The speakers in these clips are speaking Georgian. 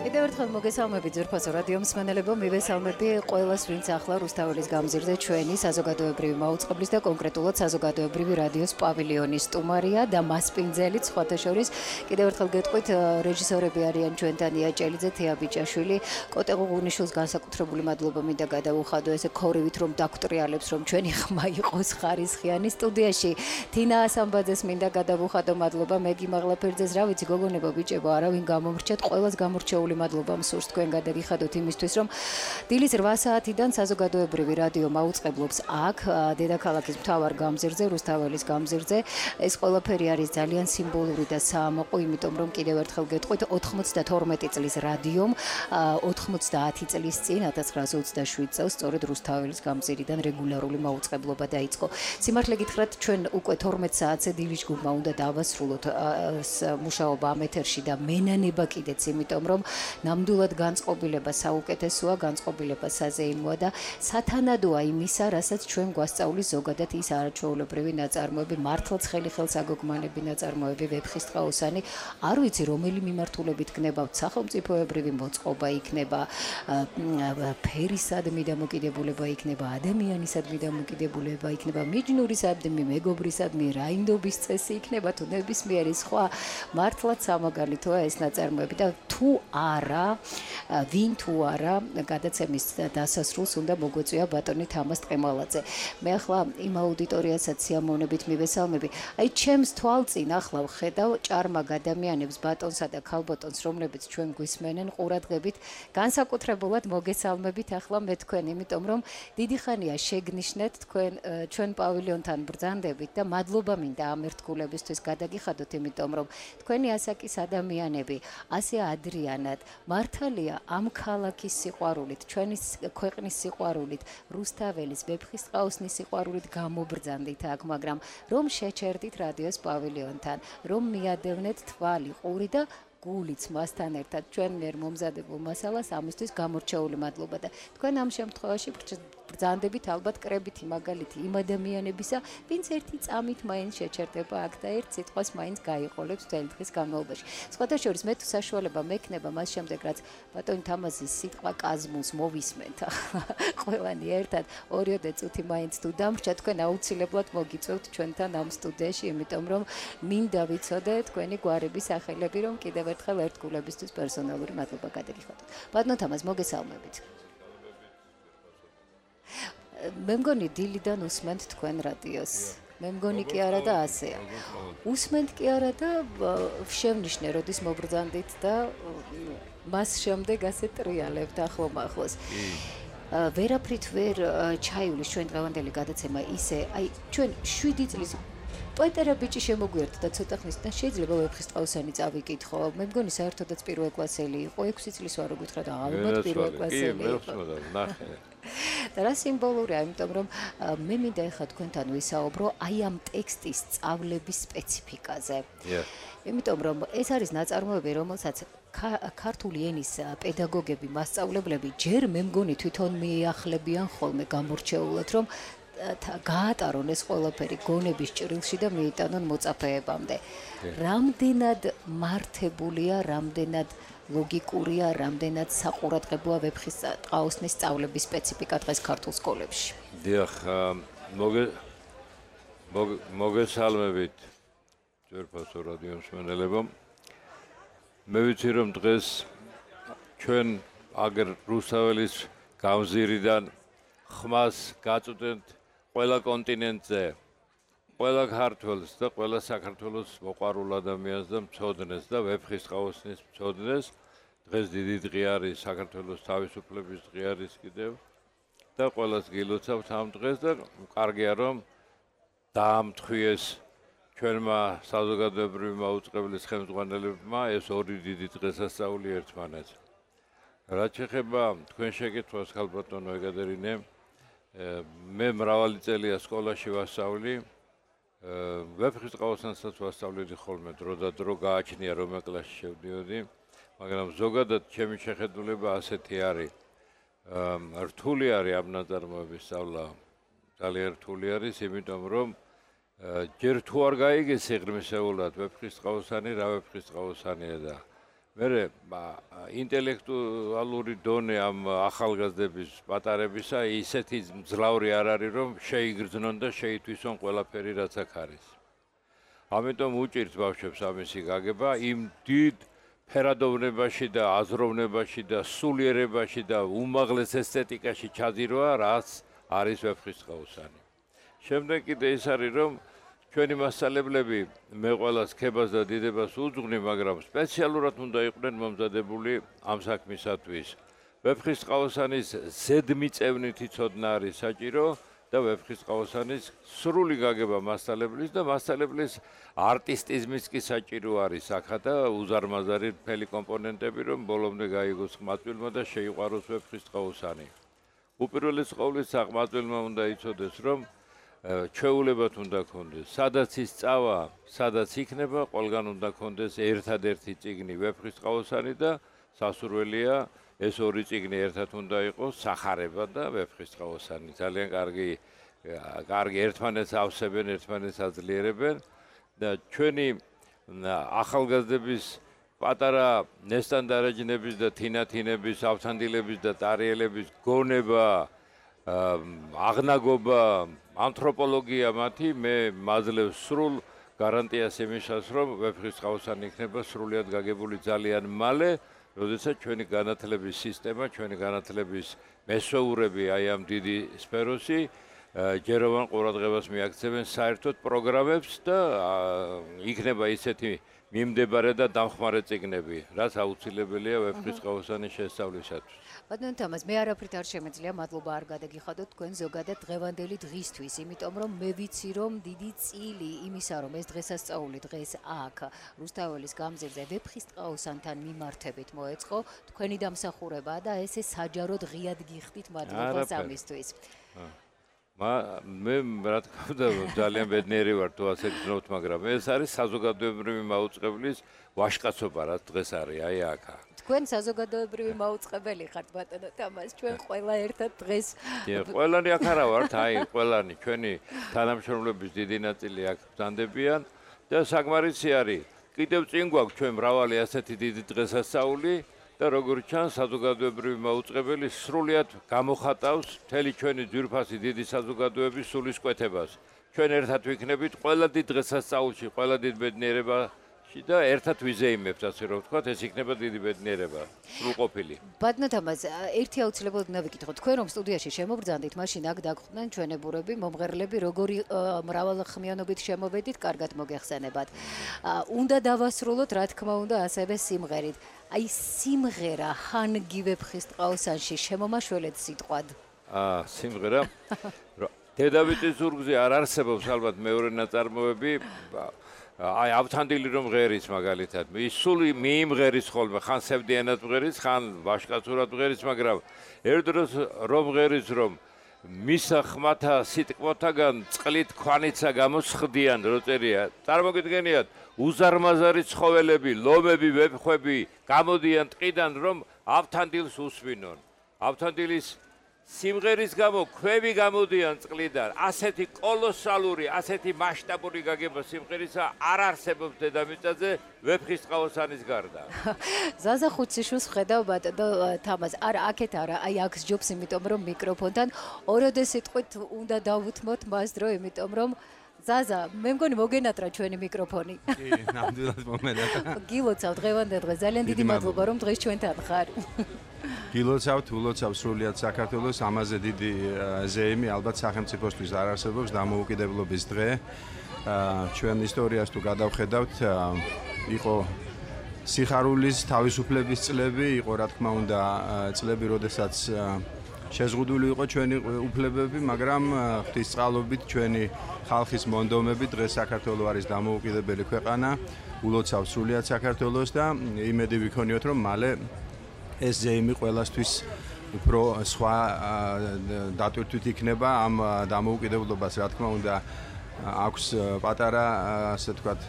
კიდევ ერთხელ მოგესალმებით ძვირფასო რადიო მსმენელებო, მივესალმები ყველას, ვინც ახლა რუსთაველის გამზირზე ჩვენი საზოგადოებრივი მაუწყებლის და კონკრეტულად საზოგადოებრივი რადიოს პავილიონის სტუმარია და მასპინძელი სხვათა შორის. კიდევ ერთხელ გეტყვით, რეჟისორები არიან ჩვენთან ია ჭელიძე, თეა ბიჭაშვილი, კოტე ღუღუნიშვილს განსაკუთრებული მადლობა მინდა გადაუხადო ესე ქორივით რომ დაგტრიალებს რომ ჩვენი ხმა იყოს ხარისხიანი. სტუდიაში თინა ასამბაძეს მინდა გადაუხადო მადლობა, მეგი მაღლაფერძეს, რა ვიცი გოგონებო ბიჭებო, არავინ გამომრჩეთ, ყველას გამორჩეული მადლობა მსურს თქვენ გადაგიხადოთ იმისთვის რომ დილის 8 საათიდან საზოგადოებრივი რადიო მაუწყებლობს აქ დედაქალაქის მთავარ გამზირზე, რუსთაველის გამზირზე. ეს ყველაფერი არის ძალიან სიმბოლური და საამაყო, იმიტომ რომ კიდევ ერთხელ გეტყვით 92 წლის რადიომ 90 წლის წინ 1927 წელს სწორედ რუსთაველის გამზირიდან რეგულარული მაუწყებლობა დაიწყო. სიმართლე გითხრათ, ჩვენ უკვე 12 საათზე დილის ჯგუფმა უნდა დავასრულოთ მუშაობა ამ ეთერში და მენანება კიდეც, იმიტომ რომ ნამდვილად განწყობილება საუკეთესოა, განწყობილება საზეიმოა და სათანადოა იმისა, რასაც ჩვენ გვასწავლის ზოგადად ის არაჩვეულებრივი ნაწარმოები, მართლაც ხელსაგოგმანები ნაწარმოები, ვეფხისტყაოსანი, არ ვიცი რომელი მიმართულებით გნებავთ, სახელმწიფოებრივი მოწყობა იქნება, ფერისადმი დამოკიდებულება იქნება, ადამიანისადმი დამოკიდებულება იქნება, მიჯნურისადმი, მეგობრისადმი, რაინდობის წესი იქნება, თუ ნებისმიერი სხვა, მართლაც სამაგალითოა ეს ნაწარმოები და თუ არა, ვინ თუ არა, გადაცემის დასასრულს უნდა მოგვეწვია ბატონი თამაზ ტყემალაძე. მე ახლა იმ აუდიტორიასაც სიამოვნებით მივესალმები. აი, ჩემს თვალწინ ახლა ვხედავ ჭარმაგ ადამიანებს, ბატონსა და ქალბატონს, რომლებიც ჩვენ გვისმენენ ყურადღებით, განსაკუთრებულად მოგესალმებით ახლა მე თქვენ, იმიტომ რომ დიდი ხანია შეგნიშნეთ თქვენ ჩვენ პავილიონთან ბრძანდებით და მადლობა მინდა ამ ერთგულებისთვის გადაგიხადოთ, იმიტომ რომ თქვენი ასაკის ადამიანები ასე ადრიანად მართალია ამ ქალაქის სიყვარულით, ჩვენი ქვეყნის სიყვარულით, რუსთაველის, ვეფხისტყაოსნის სიყვარულით გამობრძანდით აქ, მაგრამ რომ შეჩერდით რადიოს პავილიონთან, რომ მიადევნეთ თვალი, ყური და გულიც მასთან ერთად ჩვენ მიერ მომზადებულ მასალას, ამისთვის გამორჩეული მადლობა და თქვენ ამ შემთხვევაში ბრძანდებით ალბათ კრებითი მაგალითი იმ ადამიანებისა, ვინც ერთი წამით მაინც შეჩერდება აქ და ერთ სიტყვას მაინც გაიყოლებს მთელი დღის განმავლობაში. სხვათა შორის მე თუ საშუალება მექნება მას შემდეგ, რაც ბატონი თამაზის სიტყვა კაზმულს მოვისმენთ ყველანი ერთად 2 წუთი მაინც თუ დამრჩა, თქვენ აუცილებლად მოგიწევთ ჩვენთან ამ სტუდიაში, იმიტომ რომ მინდა ვიცოდე თქვენი გვარების სახელები, რომ კიდევ ერთხელ ერთგულებისთვის პერსონალური მადლობა გადაგიხადოთ. ბატონო თამაზ, მოგესალმებით. მე მგონი დილიდან უსმენთ თქვენ რადიოს. მე მგონი კი არა და ასეა. უსმენთ კი არა და შევნიშნე, როდის მობრძანდით და მას შემდეგ ასე ტრიალებთ ახლომახლოს. ვერაფრით ვერ ჩაივლის ჩვენ დღევანდელი გადაცემა ისე, აი ჩვენ 7 წლის პეტერა ბიჭი შემოგვიერთდა და ცოტა ხნის და შეიძლება ვეფხისტყაოსანი წავიკითხო. მე მგონი საერთოდაც პირველ კლასელი იყო, 6 წლის ვარო გითხრათ, ალბათ პირველ კლასელი იყო. და რა სიმბოლურია, იმიტომ რომ მე მინდა ეხლა თქვენთან ვისაუბრო აი ამ ტექსტის სწავლების სპეციფიკაზე. იმიტომ რომ ეს არის ნაწარმოები, რომელსაც ქართული ენის პედაგოგები, მასწავლებლები ჯერ მე მგონი თვითონ მიახლებიან ხოლმე გამორჩეულად, რომ გაატარონ ეს ყველაფერი გონების ჭრილში და მიიტანონ მოწაფეებამდე. რამდენად მართებულია, რამდენად ლოგიკურია, რამდენად საყურადღებოა ვეფხისტყაოსნის სწავლების სპეციფიკა დღეს ქართულ სკოლებში. დიახ, მოგესალმებით ძვირფასო რადიო მსმენელებო. მე ვიცი რომ დღეს ჩვენ აგერ რუსთაველის გამზირიდან ხმას გაწვდენთ ყველა კონტინენტზე, ყველა ქართველს და ყველა საქართველოს მოყვარულ ადამიანს და მცოდნეს და ვეფხისტყაოსნის მცოდნეს. დღეს დიდი დღე არის, საქართველოს თავისუფლების დღე არის კიდევ და ყველას გილოცავთ ამ დღეს და კარგია რომ დაამთხვიეს ჩვენმა საზოგადოებრივი მაუწყებლის ხელმძღვანელებმა ეს ორი დიდი დღესასწაული ერთმანეთს. რაც შეეხება თქვენ შეკითხვას, ქალბატონო ეკატერინე, მე მრავალი წელია სკოლაში ვასწავლი, ვეფხისტყაოსანსაც ვასწავლედი ხოლმე დრო და დრო გააჩნია რომ კლასში შევდიოდი, მაგრამ ზოგადად ჩემი შეხედულება ასეთი არის. რთული არის ამ ნაწარმოების სწავლა, ძალიან რთული არის, იმიტომ რომ ჯერ თუ არ გაიგეს სიღრმისეულად ვეფხისტყაოსანი, რა ვეფხისტყაოსანია და მერე ინტელექტუალური დონე ამ ახალგაზრდების პატარებისა ისეთი მძლავრი არ არის, რომ შეიგრძნონ და შეითვისონ ყველაფერი, რაც აქ არის. ამიტომ უჭირთ ბავშვებს ამისი გაგება იმ დიდ ფერადოვნებაში და აზროვნებაში და სულიერებაში და უმაღლეს ესთეტიკაში ჩაძირვა, რაც არის ვეფხისტყაოსანი. შემდეგ კიდე ის არის, რომ ჩვენი მასწავლებლები მე ყველას ქებას და დიდებას უძღვნი, მაგრამ სპეციალურად უნდა იყვნენ მომზადებული ამ საქმისათვის. ვეფხისტყაოსანის ზედმიწევნითი ცოდნა არის საჭირო და ვეფხისტყაოსანის სრული გაგება მასწავლებლის და მასწავლებლის არტისტიზმის კი საჭირო არის აქა და უზარმაზარი მთელი კომპონენტები, რომ ბოლომდე გაიგოს ყმაწვილმა და შეიყვაროს ვეფხისტყაოსანი. უპირველეს ყოვლისა ყმაწვილმა უნდა იცოდეს, რომ ჩვეულებად უნდა ქონდეს, სადაც ის წავა, სადაც იქნება, ყველგან უნდა ქონდეს ერთადერთი წიგნი ვეფხისტყაოსანი და სასურველია ეს ორი წიგნი ერთად უნდა იყოს, სახარება და ვეფხისტყაოსანი. ძალიან კარგი ერთმანეთს ავსებენ, ერთმანეთს აძლიერებენ და ჩვენი ახალგაზრდების პატარა ნესტანდარაჯნების და თინათინების, ავთანდილების და ტარიელების გონება, აღნაგობა, ანთროპოლოგია მათი მე მაძლევს სრულ გარანტიას იმისას, რომ ვეფხისტყაოსანი იქნება სრულიად გაგებული ძალიან მალე, როდესაც ჩვენი განათლების სისტემა, ჩვენი განათლების მესვეურები აი ამ დიდი სფეროსი ჯეროვან ყურადღებას მიაქცევენ საერთოდ პროგრამებს და იქნება ისეთი მიმდებარე და დამხმარე წიგნები, რაც აუცილებელია ვეფხისტყაოსანის შესწავლისათვის. ბატონო თამაზ, მე არაფრით არ შემეძლია, მადლობა არ გადაგიხადოთ თქვენ ზოგადად დღევანდელი დღისთვის, იმიტომ რომ მე ვიცი, რომ დიდი წილი იმისა, რომ ეს დღესასწაული დღეს აქ რუსთაველის გამზირზე ვეფხისტყაოსანთან მიმართებით მოეწყო, თქვენი დამსახურებაა და ესე საჯაროდ ღიად გიხდით, მადლობა ამისთვის. მე რა თქმა უნდა ძალიან ბედნიერი ვარ თუ ასე გძნობთ, მაგრამ ეს არის საზოგადოებრივი მაუწყებლის ვაჟკაცობა, რაც დღეს არის აი აქა. თქვენ საზოგადოებრივი მაუწყებელი ხართ ბატონო თამაზ, ჩვენ ყველა ერთად დღეს ყველანი აქ არა ვართ, აი ყველანი ჩვენი თანამშრომლების დიდი ნაწილი აქ ბრძანდებიან და საკმარისი არის. კიდევ წინ გვაქვს ჩვენ მრავალი ასეთი დიდი დღესასწაული და როგორც ჩანს საზოგადოებრივი მაუწყებელი სრულიად გამოხატავს მთელი ჩვენი ძვირფასი დიდი საზოგადოების სულისკვეთებას. ჩვენ ერთად ვიქნებით ყველა დიდ დღესასწაულში, ყველა დიდ ბედნიერებაში და ერთად ვიზეიმებთ, ასე რომ ვთქვათ, ეს იქნება დიდი ბედნიერება, სრულყოფილი. ბატონო თამაზ, ერთი აუცილებლად უნდა ვიკითხო, თქვენ რომ სტუდიაში შემობრძანდით, მაშინ აქ დაგხვდნენ ჩვენებურები, მომღერლები, როგორი მრავალხმიანობით შემოვედით, კარგად მოგეხსენებათ. უნდა დავასრულოთ, რა თქმა უნდა, ასევე სიმღერით. აი სიმღერა ჰანგი ვეფხისტყაოსანში შემომაშველეთ სიტყვად. სიმღერა დედავიწის ზურგზე არ არსებობს ალბათ მეორე ნაწარმოები. აი ავთანდილი რომ ღერის მაგალითად, ის სული მიიმღერის ხოლმე, ხან სევდიანად მღერის, ხან ვაჟკაცურად მღერის, მაგრამ ერთ დროს რომ ღერის, რომ მისა ხმათა სიტყვათაგან წყლით ქვანიცა გამოსხდიან, რო წერია. წარმოგიდგენიათ, უზარმაზარი ცხოველები, ლომები, ვეფხვები გამოდიან ტყიდან, რომ ავთანდილს უსვინონ. ავთანდილის სიმღერის გამო ქვები გამოდიან წყლიდან. ასეთი კოლოსალური, ასეთი მასშტაბური გაგება სიმღერისა არ არსებობს დედამიწაზე ვეფხისტყაოსანის გარდა. ზაზა ხუციშვილს ხედავ ბატონო თამაზ, არა აქეთ არა, აი აქ სჯობს, იმიტომ რომ მიკროფონთან ოროდე სიტყვით უნდა დავუთმოთ მას დრო, იმიტომ რომ ზაზა, მე მგონი მოგენატრა ჩვენი მიკროფონი. კი, ნამდვილად მომენატრა. გილოცავ დღევანდელ დღეს, ძალიან დიდი მადლობა რომ დღეს ჩვენთან ხარ. გილოცავთ, ულოცავ სრულიად საქართველოს, ამაზე დიდი ზეიმი ალბათ სახელმწიფოსთვის არ არსებობს, დამოუკიდებლობის დღე. ჩვენ ისტორიას თუ გადავხედავთ, იყო სიხარულის თავისუფლების წლები, იყო რა თქმა უნდა წლები, როდესაც შეზღუდული იყო ჩვენი უფლებები, მაგრამ ღვთისწყალობით ჩვენი ხალხის მონდომებით დღეს საქართველო არის დამოუკიდებელი ქვეყანა, ულოცავს სრულიად საქართველოს და იმედი ვიქონიოთ, რომ მალე ეს ზეიმი ყველასთვის უფრო სხვა დატვირთვით იქნება ამ დამოუკიდებლობას, რა თქმა უნდა აქვს პატარა, ასე ვთქვათ,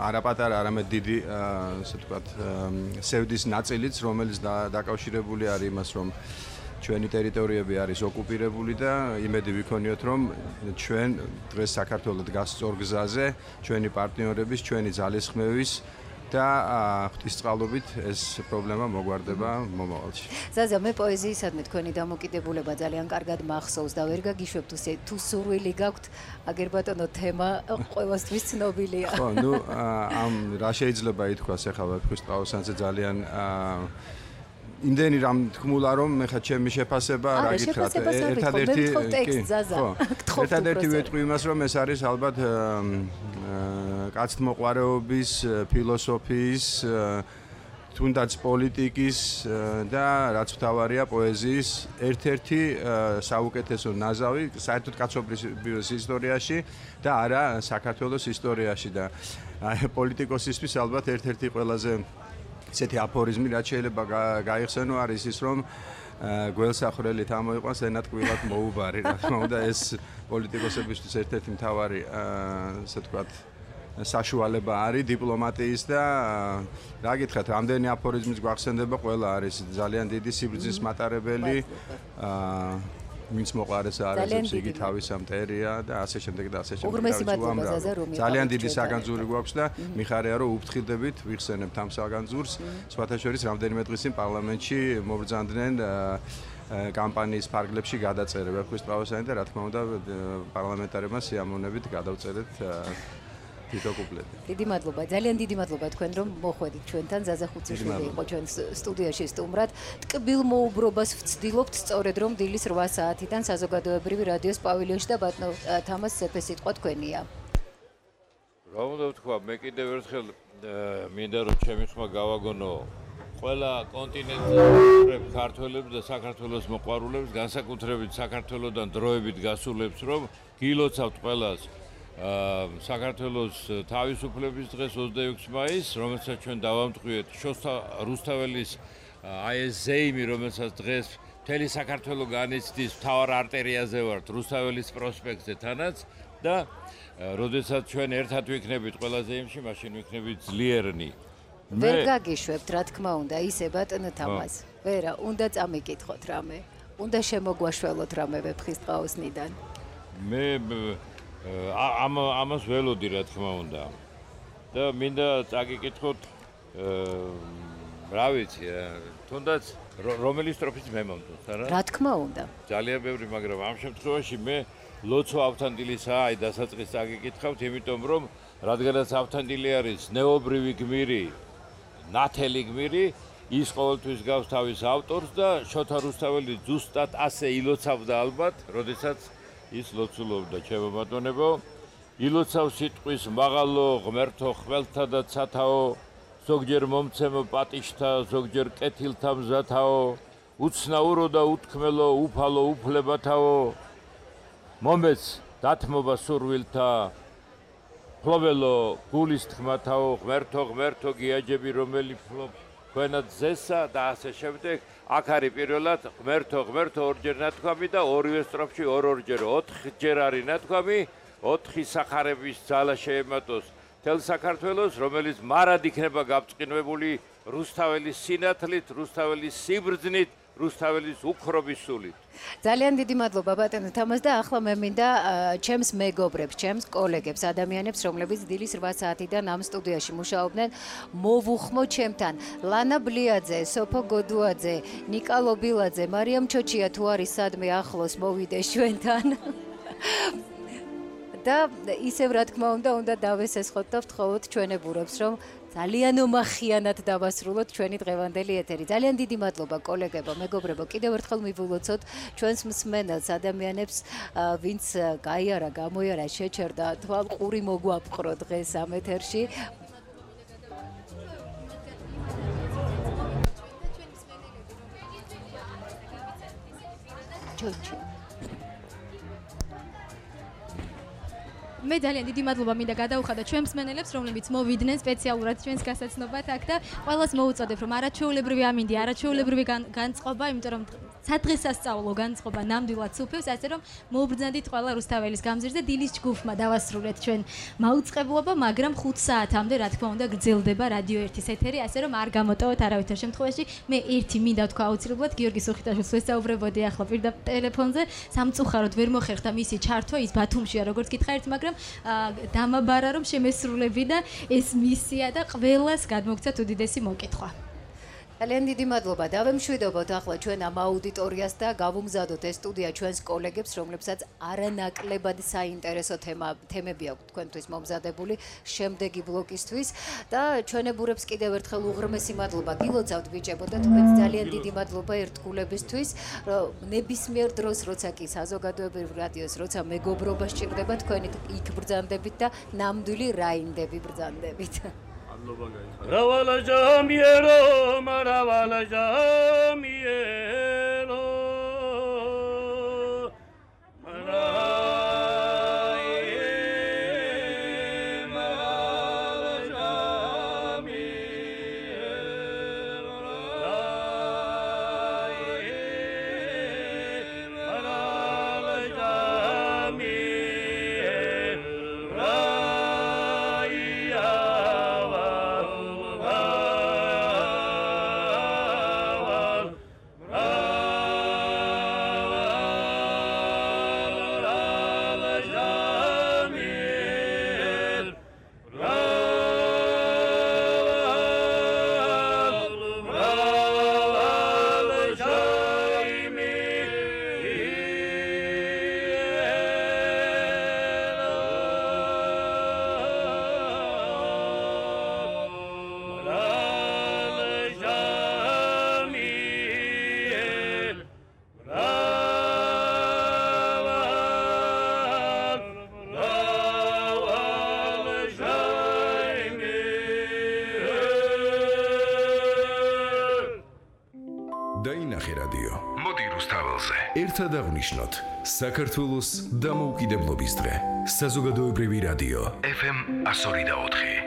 არა პატარა, არამედ დიდი, ასე ვთქვათ, სევდის ნაწილიც, რომელიც დაკავშირებული არის იმას, რომ ჩვენი ტერიტორიები არის ოკუპირებული და იმედი ვიქონიოთ, რომ ჩვენ დღეს საქართველოს დგას სწორ გზაზე, ჩვენი პარტნიორების, ჩვენი ძალისხმევის და ღვთისწყალობით ეს პრობლემა მოგვარდება მომავალში. ზაზა, მე პოეზიისადმი თქვენი დამოკიდებულება ძალიან კარგად მახსოვს და ვერ გაგიშვებთ თუ სურვილი გაქვთ, აგერ ბატონო თემა ყველასთვის ცნობილია. ხო, ნუ ამ რა შეიძლება ითქვას ახლა ღვთისწყალოსანზე ძალიან იმდენი რამ თქმულა რომ მე ხა ჩემი შეფასება რა გითხრათ ერთადერთი ვეტყვი იმას რომ ეს არის ალბათ კაცთმოყვარეობის ფილოსოფიის თუნდაც პოლიტიკის და რაც მთავარია პოეზიის ერთ-ერთი საუკეთესო ნაზავი საერთოდ კაცობრიობის ისტორიაში და არა საქართველოს ისტორიაში და პოლიტიკოსისთვის ალბათ ერთ-ერთი ყველაზე ესეთი აფორიზმი რაც შეიძლება გაიხსენო არის ის რომ გველსახრელი თამოიყვანს ენატკვილად მოუბარი რა თქმა უნდა ეს პოლიტიკოსებისთვის ერთ-ერთი მთავარი ასე ვთქვათ საშუალება არის დიპლომატიის და რა გითხრათ რამდენი აფორიზმის გვახსენდება ყველა არის ძალიან დიდი სიბრძნის მატარებელი ვინც მოყარეს არაზებს იგი თავისა მტერია და ასე შემდეგ და ასე შემდეგ. ძალიან დიდი საგანძური გვაქვს და მიხარია რომ უფრთხილდებით ვიხსენებთ ამ საგანძურს. სხვათა შორის რამდენიმე დღის წინ პარლამენტში მობრძანდნენ კამპანიის ფარგლებში გადაწერება ღვთისწყალოსანი და რა თქმა უნდა პარლამენტარებმა სიამოვნებით გადავწერეთ თითო კუპლეტი. დიდი მადლობა, ძალიან დიდი მადლობა თქვენ რომ მოხვედით ჩვენთან. ზაზა ხუციშვილი იყო ჩვენ სტუდიაში სტუმრად. ტკბილ მოუბრობას ვცდილობთ სწორედ რომ დილის 8 საათიდან საზოგადოებრივი რადიოს პავილიონში და ბატონო თამას სეფესიტყვა თქვენია. რა უნდა ვთქვა, მე კიდევ ერთხელ მინდა რომ ჩემი ხმა გავაგონო ყველა კონტინენტის ქართველებს და საქართველოს მოყვარულებს, განსაკუთრებით საქართველოსდან დროებით გასულებს რომ გილოცავთ ყველას საქართველოს თავისუფლების დღეს 26 მაისს, რომელსაც ჩვენ დავამტყვიეთ შოსთა რუსთაველის აი ეს ზეიმი, რომელსაც დღეს მთელი საქართველო განიცდის მთავარ არტერიაზე ვართ რუსთაველის პროსპექტზე თანაც და როდესაც ჩვენ ერთად ვიქნებით ყველა ზეიმში, მაშინ ვიქნებით ძლიერნი. ვერ გაგიშვებთ, რა თქმა უნდა, ისე ბატონო თამას. ვერა, უნდა წამიკითხოთ რამე. უნდა შემოგვაშველოთ რამე ვეფხისტყაოსნიდან. მე ამას ველოდი რა თქმა უნდა და მინდა წაგიკითხოთ რა ვიცი თუნდაც რომელი სტროფის მე მომწონს არა რა თქმა უნდა ძალიან ბევრი მაგრამ ამ შემთხვევაში მე ლოცვა ავთანდილისა აი დასაწყის წაგიკითხავთ იმიტომ რომ რადგანაც ავთანდილი არის ნეობრივი გმირი ნათელი გმირი ის ყოველთვის გავს თავის ავტორს და შოთა რუსთაველი ზუსტად ასე ილოცავდა ალბათ როდესაც ის ლოცულობდა ჩემო ბატონებო ილოცავ სიტყვის მაღალო ღმერთო ხველთა და ცათაო ზოგჯერ მომცემ პატიშთა ზოგჯერ კეთილთა მზათაო უცნაურო და უთქმელო უფალო უფლებათაო მომეც დათმობა სურვილთა ფლობელო გულის თქმათაო ღმერთო გიაჯები რომელი ფლობს თქვენად ზესა და ასე შემდეგ აქ არის პირველად ღმერთო ორჯერ ნათქვამი და ორივე სტროფში ორჯერ 4ჯერ არის ნათქვამი 4 სახარების ძალა შეემატოს თელ საქართველოს რომელიც მარად იქნება გაბწყინებული რუსთაველის სინათლით რუსთაველის სიბრძნით რუსთაველის უქრობის სულით ძალიან დიდი მადლობა ბატონო თამას და ახლა მე მინდა ჩემს მეგობრებს, ჩემს კოლეგებს, ადამიანებს, რომლებიც დილის 8 საათიდან ამ სტუდიაში მუშაობდნენ, მოვუხმო ჩემთან. ლანა ბლიაძე, სოფო გოდუაძე, ნიკა ლობილაძე, მარიამ ჩოჩია თუ არის სადმე ახლოს მოვიდეს ჩვენთან. და ისევ რა თქმა უნდა დავესესხოთ და ვთხოვოთ ჩვენებურებს რომ ძალიან უმახიანად დავასრულოთ ჩვენი დღევანდელი ეთერი. ძალიან დიდი მადლობა კოლეგებო, მეგობრებო, კიდევ ერთხელ მივულოცოთ ჩვენს მსმენელს, ადამიანებს, ვინც გაიარა, გამოიარა, შეჩერდა, თვალყური მოგვაფყრო დღეს ამ ეთერში. მე ძალიან დიდი მადლობა მინდა გადაუხადა ჩვენ მსმენელებს, რომლებიც მოვიდნენ სპეციალურად ჩვენს გასაცნობად აქ და ყველას მოუწოდებ, რომ არაჩვეულებრივი ამინდი, არაჩვეულებრივი განწყობა, იმიტომ რომ სადღესასწაულო განწყობა ნამდვილად სუფევს, ასე რომ მოუბრძანდით ყველა რუსთაველის გამზირზე დილის ჯგუფმა დავასრულეთ ჩვენ მაუწყებლობა, მაგრამ 5 საათამდე რა თქმა უნდა გრძელდება რადიო 1-ის ეთერი, ასე რომ არ გამოტოვოთ არავითარ შემთხვევაში. მე ერთი მინდა თქვა აუცილებლად გიორგი სუხიტაშვილს ვესაუბრებოდი ახლა პირდაპირ ტელეფონზე, სამწუხაროდ ვერ მოხერხდა მისი ჩართვა, ის ბათუმშია როგორც გითხარით, მაგრამ დამაბარა რომ შემესრულები და ეს მისია და ყველას გადმოგცათ უდიდესი მოკითხვა. ძალიან დიდი მადლობა. დავემშვიდობოთ ახლა ჩვენ ამ აუდიტორიას და გავუმზადოთ ეს სტუდია ჩვენს კოლეგებს, რომლებსაც არანაკლებად საინტერესო თემები აქვს თქვენთვის მომზადებული შემდეგი ბლოკისთვის და ჩვენებურებს კიდევ ერთხელ უღრმესი მადლობა გილოცავთ ბიჭებო და თქვენს ძალიან დიდი მადლობა ერთგულებისთვის, რომ ნებისმიერ დროს როცა კი საზოგადოებრივ რადიოს როცა მეგობრობა სჭირდება თქვენი იქ ბრძანდებით და ნამდვილი რაინდები ბრძანდებით. Ravala jamiero, maravala jamiero. დაინახე რადიო. მოდი რუსთაველზე. ერთად აღნიშნოთ საქართველოს დამოუკიდებლობის დღე. საზოგადოებრივი რადიო FM 102.4